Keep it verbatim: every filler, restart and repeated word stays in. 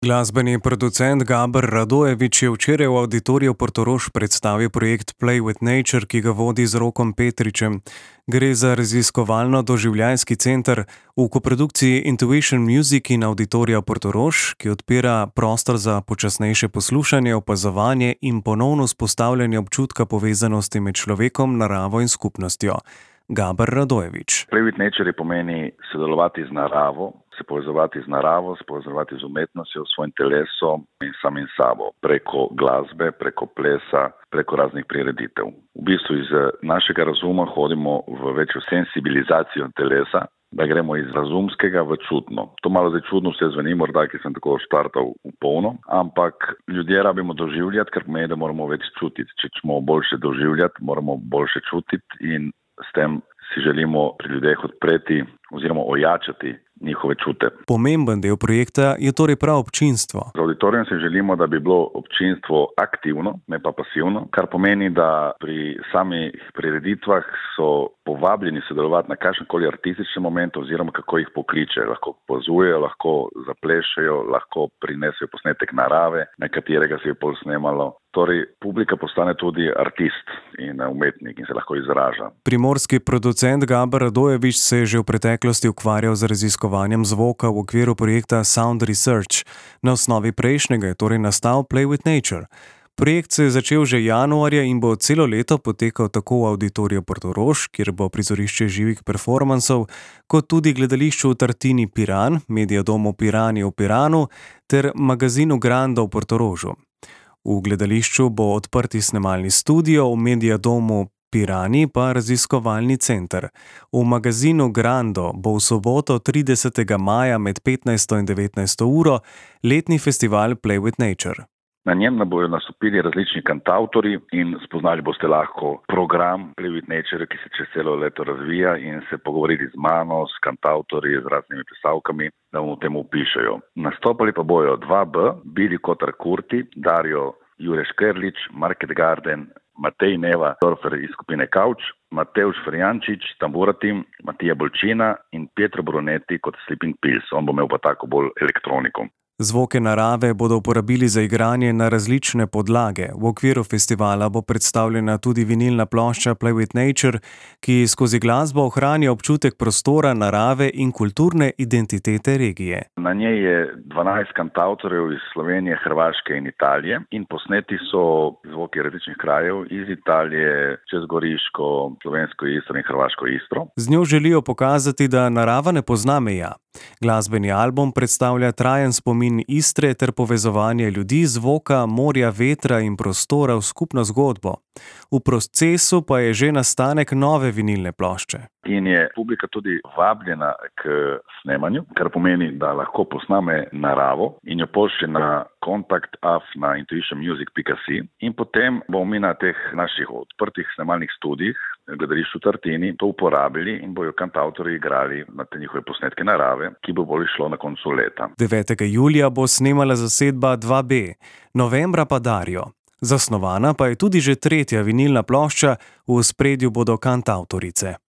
Glasbeni producent Gaber Radojević je včeraj v Avditoriju Portorož predstavil projekt Play with Nature, ki ga vodi z Rokom Petričem. Gre za raziskovalno-doživljajski center v koprodukciji Intuition Music in Avditorija Portorož, ki odpira prostor za počasnejše poslušanje, opazovanje in ponovno vzpostavljanje občutka povezanosti med človekom, naravo in skupnostjo. Gaber Radojević. Play with Nature pomeni sodelovati z naravo, se povezovati z naravo, se povezovati z umetnostjo, s svojim telesom in samim sabo, preko glasbe, preko plesa, preko raznih prireditev. V bistvu iz našega razuma hodimo v večjo sensibilizacijo telesa, da gremo iz razumskega v čutno. To malo zdaj čudno vse zveni, morda, ki sem tako štartal v polno, ampak ljudje rabimo doživljati, ker pomeni, da moramo več čutiti. Če ćemo boljše doživljati, moramo boljše čutiti in s tem si želimo pri ljudeh odpreti oziroma ojačati njihove čute. Pomemben del projekta je torej prav občinstvo. Z auditorijem si želimo, da bi bilo občinstvo aktivno, ne pa pasivno, kar pomeni, da pri samih prireditvah so povabljeni sodelovati na kakšenkoli artističnem momentu oziroma kako jih pokliče. Lahko pozujejo, lahko zaplešejo, lahko prinesejo posnetek narave, na katerega se je pol snemalo. Torej, publika postane tudi artist in umetnik in se lahko izraža. Primorski producent Gaber Radojević se je že v preteklosti ukvarjal z raziskovanjem zvoka v okviru projekta Sound Research. Na osnovi prejšnjega je torej nastal Play with Nature. Projekt se je začel že januarja in bo celo leto potekal tako v Avditoriju Portorož, kjer bo prizorišče živih performansov, kot tudi gledališču v Tartini Piran, Mediadomu Pirani v Piranu ter magazinu Grando v Portorožu. V gledališču bo odprti snemalni studio, v Mediadomu Pirani pa raziskovalni center. V magazinu Grando bo v soboto tridesetega maja med petnajsto in devetnajsto uro letni festival Play with Nature. Na njem bodo nastopili različni kantavtorji in spoznali boste lahko program Play with Nature, ki se čez celo leto razvija, in se pogovoriti z mano, s kantavtorji, z raznimi pisavkami, da vam v tem upišejo. Nastopali pa bojo dva B, Billy Kotar Kurti, Dario Jure Škerlič, Market Garden, Matej Neva Dorfer iz skupine Kauč, Mateusz Ferjančič, Tamburatim, Matija Bolčina in Pietro Brunetti kot Sleeping Pills. On bo imel pa tako bolj elektroniko. Zvoke narave bodo uporabili za igranje na različne podlage. V okviru festivala bo predstavljena tudi vinilna plošča Play with Nature, ki skozi glasbo ohranja občutek prostora, narave in kulturne identitete regije. Na njej je dvanajst kantavtorjev iz Slovenije, Hrvaške in Italije in posneti so zvoki različnih krajev iz Italije, čez Goriško, Slovensko Istro in Hrvaško Istro. Z njo želijo pokazati, da narava ne pozna meja. Glasbeni album predstavlja trajen spomin Istre ter povezovanje ljudi, zvoka, morja, vetra in prostora v skupno zgodbo. V procesu pa je že nastanek nove vinilne plošče. In je publika tudi vabljena k snemanju, kar pomeni, da lahko posname naravo in jo pošlje na kontakt af na intuition music pika si in potem bomo mi na teh naših odprtih snemalnih studijih gledališču v Tartini to uporabili in bojo kantavtorji igrali na te njihove posnetke narave, ki bo bolj šlo na koncu leta. devetega julija bo snemala zasedba dva B, novembra pa Dario. Zasnovana pa je tudi že tretja vinilna plošča, v ospredju bodo kantavtorice.